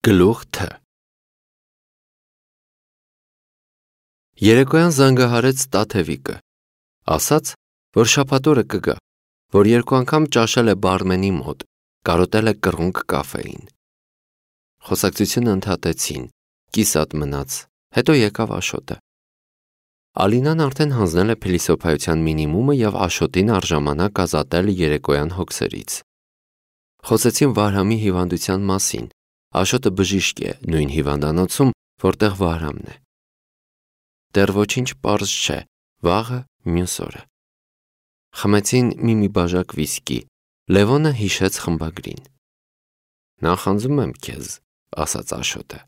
Գլուխ Თ. Երեկոյան զանգահարեց Տաթևիկը, ասաց, որ շաբաթ օրը կգա, որ երկու անգամ ճաշել է բարմենի մոտ, կարոտել է կռունկ կաֆեին։ Խոսակցությունը ընդհատեցին, կիսատ մնաց, հետո եկավ Աշոտը։ Ալինան արդեն հանձնել է փիլիսոփայության մինիմումը և Աշոտին առժամանակ ազատել երեկոյան հոգսերից։ Խոսեցին Վահրամի հիվանդության մասին, Աշոտը բժիշկ է նույն հիվանդանոցում, որտեղ Վահրամն է։ Դեռ ոչինչ պարզ չէ, վաղը մյուս օրը։ Խմեցին մի բաժակ վիսկի, Լևոնը հիշեց խմբագրին։ Նախանձում եմ քեզ, ասաց Աշոտը։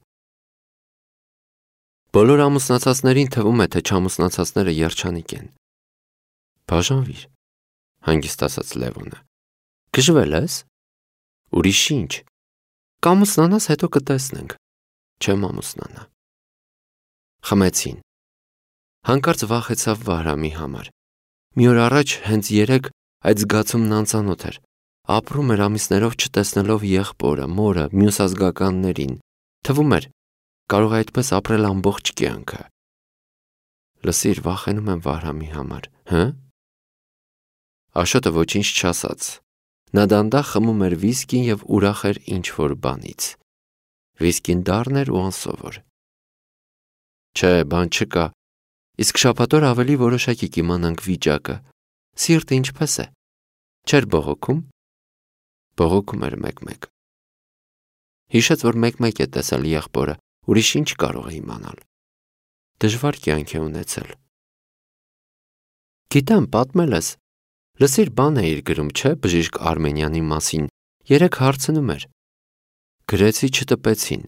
Բոլոր ամուսնացածներին թվում է, թե չամուսնացածները երջանիկ են։ Բաժանվիր, հանգիստ ասաց Լևոնը։ Գժվել ես։ Ուրիշ ինչ։ Կամուսնանաս, հետո կտեսնենք։ Չեմ ամուսնանա։ Խմեցին։ Հանկարծ վախեցավ Վահրամի համար։ Մի օր առաջ հենց երեկ այդ զգացումն անծանոթ էր։ Ապրում էր ամիսներով չտեսնելով եղբորը, մորը, մյուս ազգականներին։ Թվում էր, կարող է այդպես ապրել ամբողջ կյանքը։ Լսիր, վախենում եմ Վահրամի համար, հը՞։ Աշոտը ոչինչ չասաց։ Նա դանդաղ խմում էր վիսկին և ուրախ էր ինչ-որ բանից։ Վիսկին դառն էր ու անսովոր։ Չէ, բան չկա։ Իսկ շաբաթ օր ավելի որոշակի կիմանանք վիճակը։ Սիրտը ինչպես է։ Չէր բողոքում։ Բողոքում էր մեկ-մեկ։ Հիշեց, որ մեկ-մեկ է տեսել եղբորը, ուրիշ ինչ կարող է իմանալ։ Դժվար կյանք է ունեցել։ Գիտեմ, պատմել ես։ Լսիր, բան էիր գրում, չէ, բժիշկ Արմենյանի մասին, երեկ հարցնում էր։ Գրեցի, չտպեցին։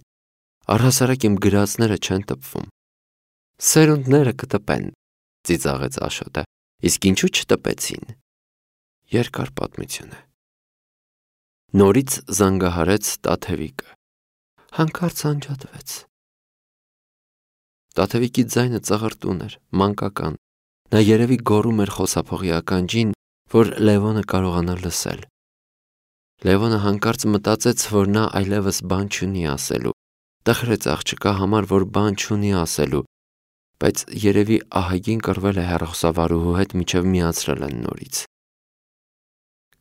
Առհասարակ իմ գրածները չեն տպվում։ Սերունդները կտպեն, ծիծաղեց Աշոտը, իսկ ինչու չտպեցին։ Երկար պատմություն է։ Նորից զանգահարեց Տաթևիկը։ Հանկարծ անջատվեց։ Տաթևիկի ձայնը ծղրտուն էր, մանկական։ Նա երևի գոռում էր խոսափողի ականջին, որ Լևոնը կարողանա լսել։ Լևոնը հանկարծ մտածեց, որ նա այլևս բան չունի ասելու, տխրեց աղջկա համար, որ բան չունի ասելու, բայց երևի ահագին կռվել է հեռախոսավարուհու հետ, մինչև միացրել են նորից։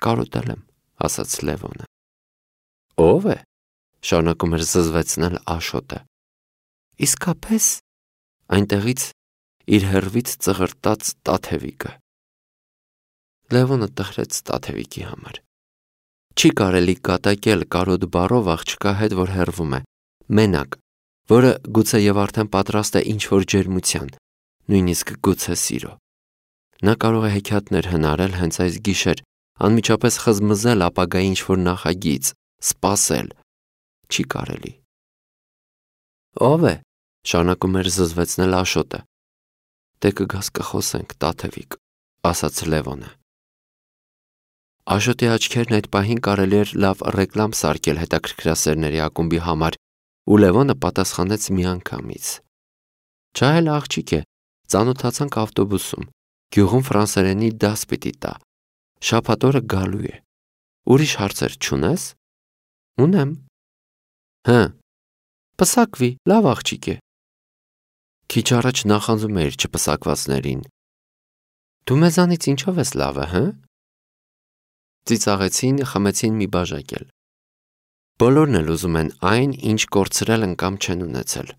Կարոտել եմ, ասաց Լևոնը։ Ո՞վ է, շարունակում էր զզվեցնել Աշոտը։ Իսկապես, այնտեղից իր հեռվից ծղրտաց Տաթևիկը։ Լևոնը տխրեց Տաթևիկի համար։ Չի կարելի կատակել կարոտ բառով աղջկա հետ, որ հեռվում է, մենակ, որը գուցե և արդեն պատրաստ է ինչ-որ ջերմության, նույնիսկ գուցե սիրո։ Նա կարող է հեքիաթներ հնարել հենց այս գիշեր, անմիջապես խզմզել ապագայի ինչ-որ նախագիծ, սպասել։ Չի կարելի։ Ո՞վ է, շարունակում էր զզվեցնել Աշոտը։ Դե կգաս կխոսենք, Տաթևիկ, ասաց Լևոնը։ Աշոտի աչքերն այդ պահին կարելի էր լավ ռեկլամ սարքել հետաքրքրասերների ակումբի համար, ու Լևոնը պատասխանեց միանգամից։ Ջահել աղջիկ է, ծանոթացանք ավտոբուսում, գյուղում ֆրանսերենի դաս պիտի տա, շաբաթ օրը գալու է։ Ուրիշ հարցեր չունես։ Ունեմ։ Հը, պսակվի, լավ աղջիկ է։ Քիչ առաջ նախանձում էիր չպսակվածներին։ Դու մեզանից ինչով ես լավը, հը։ Ծիծաղեցին, խմեցին մի բաժակ էլ։ Բոլորն էլ ուզում են այն, ինչ կորցրել են կամ չեն ունեցել։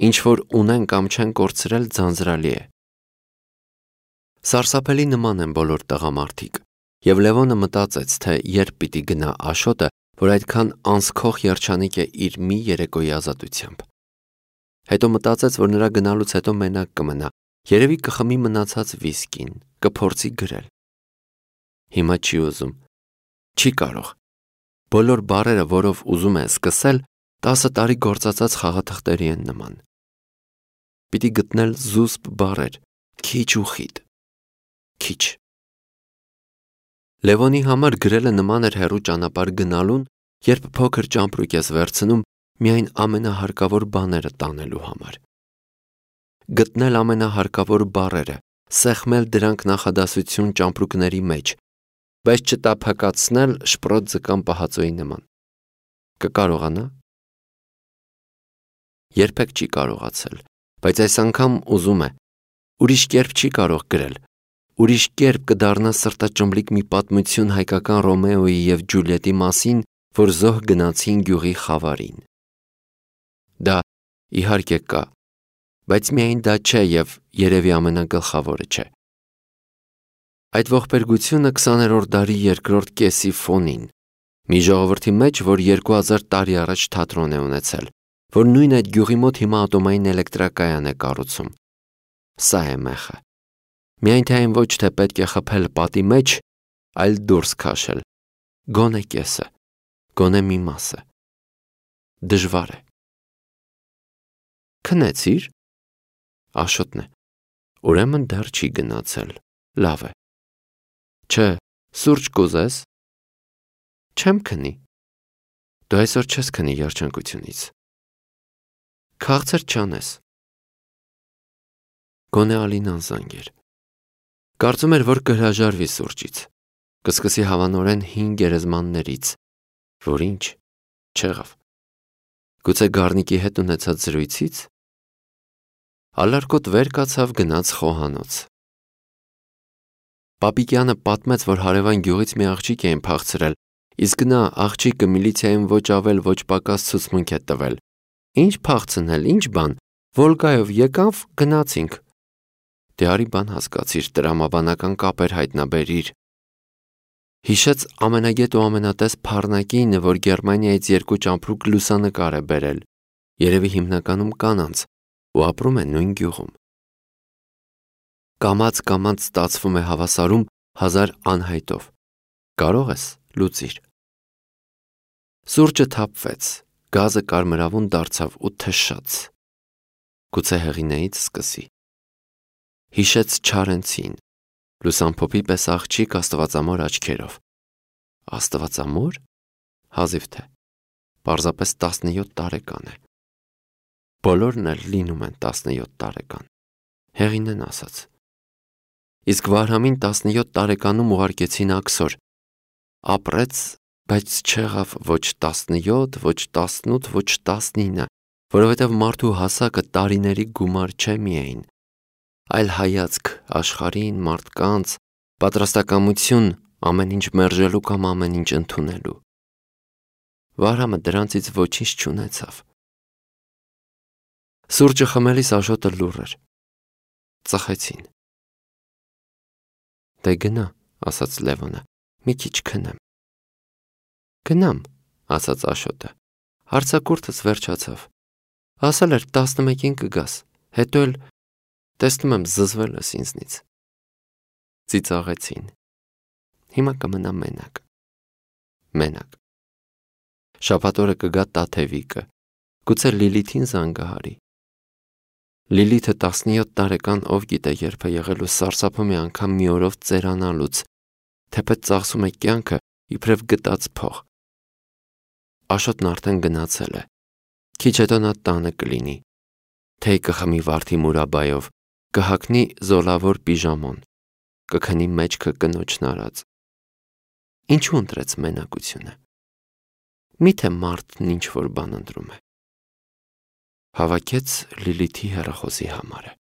Ինչ որ ունեն կամ չեն կորցրել, ձանձրալի է։ Սարսափելի նման են բոլոր տղամարդիկ, և Լևոնը մտածեց, թե երբ պիտի գնա Աշոտը, որ այդքան անսքող երջանիկ է իր մի երեկոյի ազատությամբ։ Հետո մտածեց, որ նրա գնալուց հետո մենակ կմնա, երևի կխմի մնացած վիսկին, կփորձի գրել։ Հիմա չի ուզում։ Չի կարող։ Բոլոր բառերը, որով ուզում է սկսել, 10 տարի գործածած խաղաթղթերի են նման։ Պիտի գտնել զուսպ բառեր, քիչ ու խիտ։ Քիչ։ Լևոնի համար գրելը նման էր հեռու ճանապարհ գնալուն, երբ փոքր ճամպրուկ ես վերցնում միայն ամենահարկավոր բաները տանելու համար։ Գտնել ամենահարկավոր բառերը, սեղմել դրանք նախադասություն ճամպրուկների մեջ, բայց չտափակացնել շպրոտ ձկան պահածոյի նման։ Կկարողանա։ երբեք չի կարողացել, բայց այս անգամ ուզում է, ուրիշ կերպ չի կարող գրել, ուրիշ կերպ կդառնա սրտաճմլիկ մի պատմություն հայկական Ռոմեոյի և Ջուլիետի մասին, որ զոհ գնացին գյուղի խավարին։ Դա իհարկե կա, բայց միայն դա չէ և երևի ամենագլխավորը չէ։ Այդ ողբերգությունը 20-րդ դարի երկրորդ կեսի ֆոնին, մի ժողովրդի մեջ, որ 2000 տարի առաջ թատրոն է ունեցել, որ նույն այդ գյուղի մոտ հիմա ատոմային էլեկտրակայան է կառուցում։ Սա է մեխը։ Միայն թե այն ոչ թե պետք է խփել պատի մեջ, այլ դուրս քաշել, գոնե կեսը, գոնե մի մասը։ Դժվար է։ Քնեցի՞ր։ Աշոտն է։ Ուրեմն դեռ չի գնացել, լավ է։ Չէ, սուրճ կուզես։ Չեմ քնի։ Դու այսօր չես քնի երջանկությունից։ Քաղցր չանես։ Գոնե Ալինան զանգեր։ Կարծում էր, որ կհրաժարվի սուրճից, կսկսի հավանորեն հին գերեզմաններից, որ ինչ, չեղավ։ Գուցե Գառնիկի հետ ունեցած զրույցից։ Ալարկոտ վեր կացավ, գնաց խոհանոց։ Պապիկյանը պատմեց, որ հարևան գյուղից մի աղջիկ էին փախցրել, իսկ նա աղջիկը միլիցիայում ոչ ավել, ոչ պակաս ցուցմունք է տվել։ Ինչ փախցնել, ինչ բան, Վոլգայով եկավ, գնացինք։ Դե արի բան հասկացիր, տրամաբանական կապեր հայտնաբերիր։ Հիշեց ամենագետ ու ամենատես փառնակինը, որ Գերմանիայից 2 ճամփրուկ լուսանկար է բերել, երևի հիմնականում կանանց, ու ապրում է նույն գյուղում։ Կամաց ստացվում է հավասարում 1000 անհայտով։ Կարող ես, լուծիր։ Սուրճը թափվեց, գազը կարմրավուն դարձավ ու թշաց։ Գուցե հեղինեից սկսի։ Հիշեց Չարենցին, լուսամփոփի պես աղջիկ աստվածամոր աչքերով։ Աստվածամոր։ Հազիվ թե։ Պարզապես 17 տարեկան է։ Բոլորն էլ լինում են 17 տարեկան։ Հեղինեն ասաց։ Իսկ Վարհամին 17 տարեկանում ուղարկեցին աքսոր։ Ապրեց, բայց չեղավ ոչ 17, ոչ 18, ոչ 19, որովհետև մարդու հասակը տարիների գումար չէ միայն, այլ հայացք աշխարհին, մարդկանց, պատրաստակամություն ամեն ինչ մերժելու կամ ամեն ինչ ընդունելու։ Վարհամը դրանցից ոչինչ չունեցավ։ Սուրճը խմելիս Աշոտը լուռ էր։ Ծխեցին։ Դե գնա, ասաց Լևոնը, մի քիչ քնեմ։ Գնամ, ասաց Աշոտը, հարցակուրդս վերջացավ։ Ասել էր 11-ին կգաս, հետո էլ տեսնում եմ զզվել ես ինձնից։ Ծիծաղեցին։ Հիմա կմնա մենակ։ Շաբաթ օրը կգա Տաթևիկը, գուցե Լիլիթին զանգահարի։ Լիլիթը 17 տարեկան ով գիտե երբ է եղել ու սարսափում է անգամ մի օրով ծերանալուց, թեպետ ծախսում է կյանքը իբրև գտած փող։ Աշոտն արդեն գնացել է։ Քիչ հետո նա տանը կլինի։ Թեյ կխմի վարդի մուրաբայով, կհագնի զոլավոր պիժամոն, կքնի մեջքը կնոջն արած։ Ինչու ընտրեց մենակությունը։ Միթե մարդն ինչ որ բան ընտրում է։ Հավաքեց Լիլիթի հեռախոսի համարը։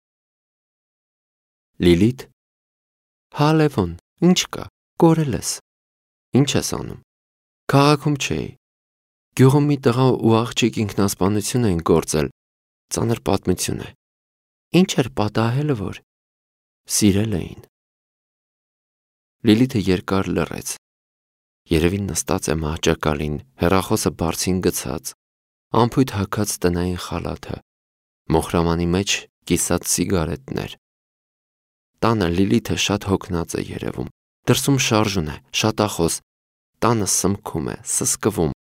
Լիլիթ։ Հա Լևոն, ինչ կա, կորել ես։ Ինչ ես անում։ Քաղաքում չէի։ Գյուղում մի տղա ու աղջիկ ինքնասպանություն էին գործել, ծանր պատմություն է։ Ինչ էր պատահել, որ սիրել էին։ Լիլիթը երկար լռեց։ Երևի նստած է մահճակալին, հեռախոսը բարձին գցած, ամփույթ հագած տնային խալաթը, մոխրամանի մեջ կիսած սիգարետներ։ Տանը Լիլիթը շատ հոգնած է երևում, դրսում շարժուն է, շատախոս, տանը սմքում է, սսկվում,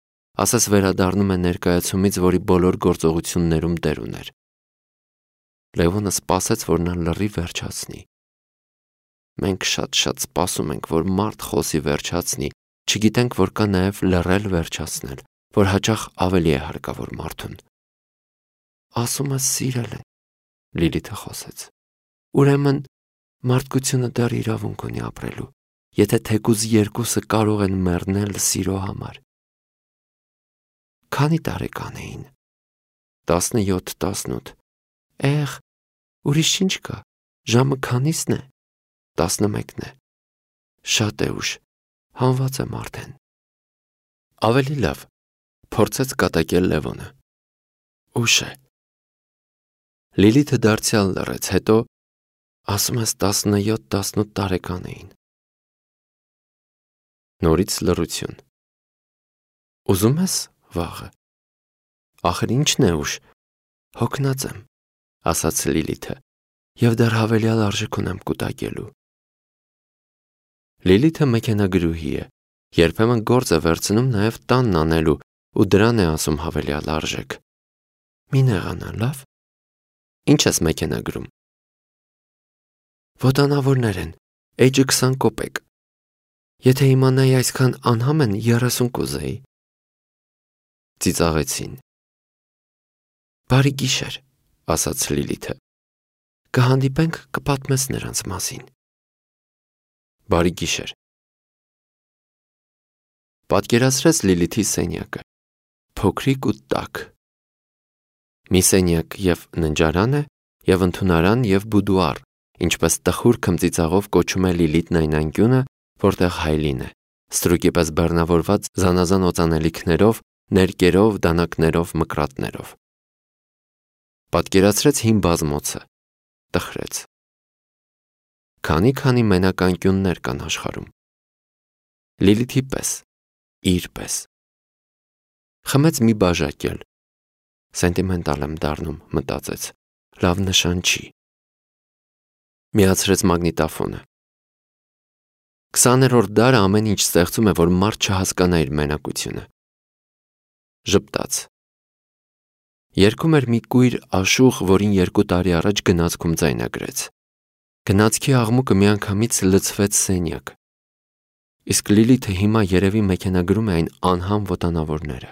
ասես վերադառնում է ներկայացումից, որի բոլոր գործողություններում դեր ուներ։ Լևոնը սպասեց, որ նա լռի վերջացնի։ Մենք շատ սպասում ենք, որ մարդ խոսի վերջացնի, չգիտենք, որ կա նաև լռել վերջացնել, որ հաճախ ավելի է հարկավոր մարդուն։ Ասում ես սիրել են, Լիլիթը խոսեց։ Ուրեմն մարդկությունը դեռ իրավունք ունի ապրելու, եթե թեկուզ երկուսը կարող են մեռնել սիրո համար։ Քանի տարեկան էին։ 17-18 ուրիշ ինչ կա, ժամը քանիսն է, 11-ն է, շատ է ուշ, հանված եմ արդեն։ Ավելի լավ, փորձեց կատակել Լևոնը։ Ուշ է։ Լիլիթը դարձյալ լռեց, հետո ասում ես 17-18 տարեկան էին։ Նորից լռություն։ Ուզում ես վաղը։ Ախր ինչն է ուշ, հոգնած եմ, ասաց Լիլիթը, և դեռ հավելյալ արժեք ունեմ կուտակելու։ Լիլիթը մեքենագրուհի է, երբեմն գործ է վերցնում նաև տանն անելու ու դրան է ասում հավելյալ արժեք։ Մի նեղանա, լավ։ Ինչ ես մեքենագրում։ Ոտանավորներ են, էջը 20 կոպեկ։ Եթե իմանայի այսքան անհամ են 30 կուզեի։ Ծիծաղեցին։ Բարի գիշեր, ասաց Լիլիթը։ Կհանդիպենք, կպատմես նրանց մասին։ Բարի գիշեր։ Պատկերացրեց Լիլիթի սենյակը, փոքրիկ ու տաք։ Մի սենյակ և ննջարան է, և ընդունարան և բուդուար, ինչպես տխուր քմծիծաղով կոչում է Լիլիթն այն անկյունը, որտեղ Հայլին է, ստրուկի պես բեռնավորված զանազան օծանելիքներով, ներկերով, դանակներով, մկրատներով։ Պատկերացրեց հին բազմոցը, տխրեց։ Քանի մենակ անկյուններ կան աշխարհում։ Լիլիթի պես, իր պես։ Խմեց մի բաժակ էլ։ Սենտիմենտալ եմ դառնում, մտածեց, լավ նշան չի։ Միացրեց մագնիտոֆոնը։ 20-րդ դարը ամեն ինչ ստեղծում է, որ մարդ չհասկանա իր մենակությունը։ Ժպտաց։ Երգում էր մի կույր աշուղ, որին 2 տարի առաջ գնացքում ձայնագրեց։ Գնացքի աղմուկը միանգամից լցվեց սենյակ։ Իսկ Լիլիթը հիմա երևի մեքենագրում է այն անհամ ոտանավորները։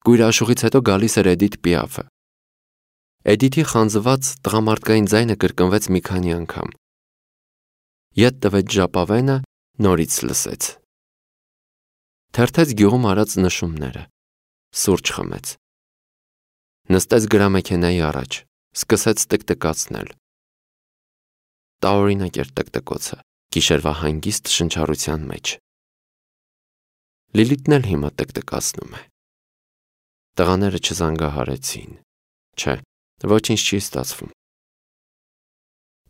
Կույր աշուղից հետո գալիս էր Էդիթ Պիաֆը։ Էդիթի խանձված տղամարդկային ձայնը կրկնվեց մի քանի անգամ։ Ետ տվեց ժապավենը, նորից լսեց։ Թերթեց գյուղում արած նշումները, սուրճ խմեց։ Նստեց գրամեքենայի առաջ, սկսեց տկտկացնել։ Տարօրինակ էր տկտկոցը, գիշերվա հանգիստ շնչառության մեջ։ Լիլիթն էլ հիմա տկտկացնում է։ Տղաները չզանգահարեցին։ Չէ, ոչինչ չի ստացվում։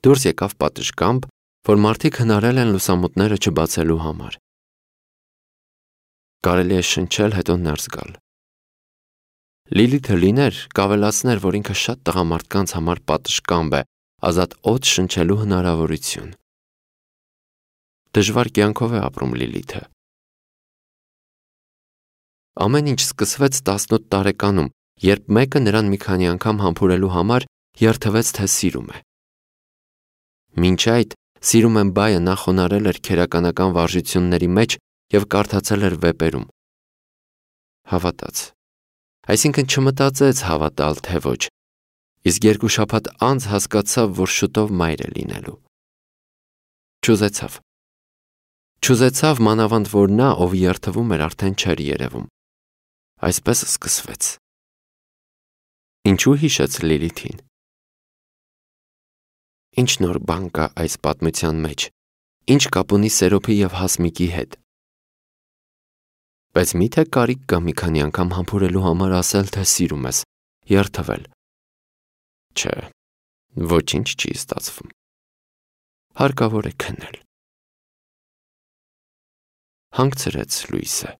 Դուրս եկավ պատշգամբ, որ մարդիկ հնարել են լուսամուտները չբացելու համար։ Կարելի է շնչել, հետո ներս գալ։ Լիլիթը լիներ, կավելացներ, որ ինքը շատ տղամարդկանց համար պատշգամբ է, ազատ օդ շնչելու հնարավորություն։ Դժվար կյանքով է ապրում Լիլիթը։ Ամեն ինչ սկսվեց 18 տարեկանում, երբ մեկը նրան մի քանի անգամ համբուրելու համար երդվեց, թե սիրում է։ Մինչ այդ «Սիրում եմ» բայը նա խոնարհել էր քերականական վարժությունների մեջ և կարդացել էր վեպերում։ Հավատաց։ Այսինքն չմտածեց հավատալ, թե ոչ, իսկ 2 շաբաթ անց հասկացավ, որ շուտով մայր է լինելու։ Չուզեցավ մանավանդ, որ նա, ով երդվում էր, արդեն չէր երևում։ Այսպես սկսվեց։ Ինչու հիշեց Լիլիթին։ Ինչ նոր բան կա այս պատմության մեջ, ինչ կապ ունի Սերոփի և Հասմիկի հետ։ Բայց միթե կարիք կա մի քանի անգամ համբուրելու համար ասել, թե սիրում ես, երդվել։ Չէ, ոչինչ չի ստացվում։ Հարկավոր է քնել։ Հանգցրեց լույսը։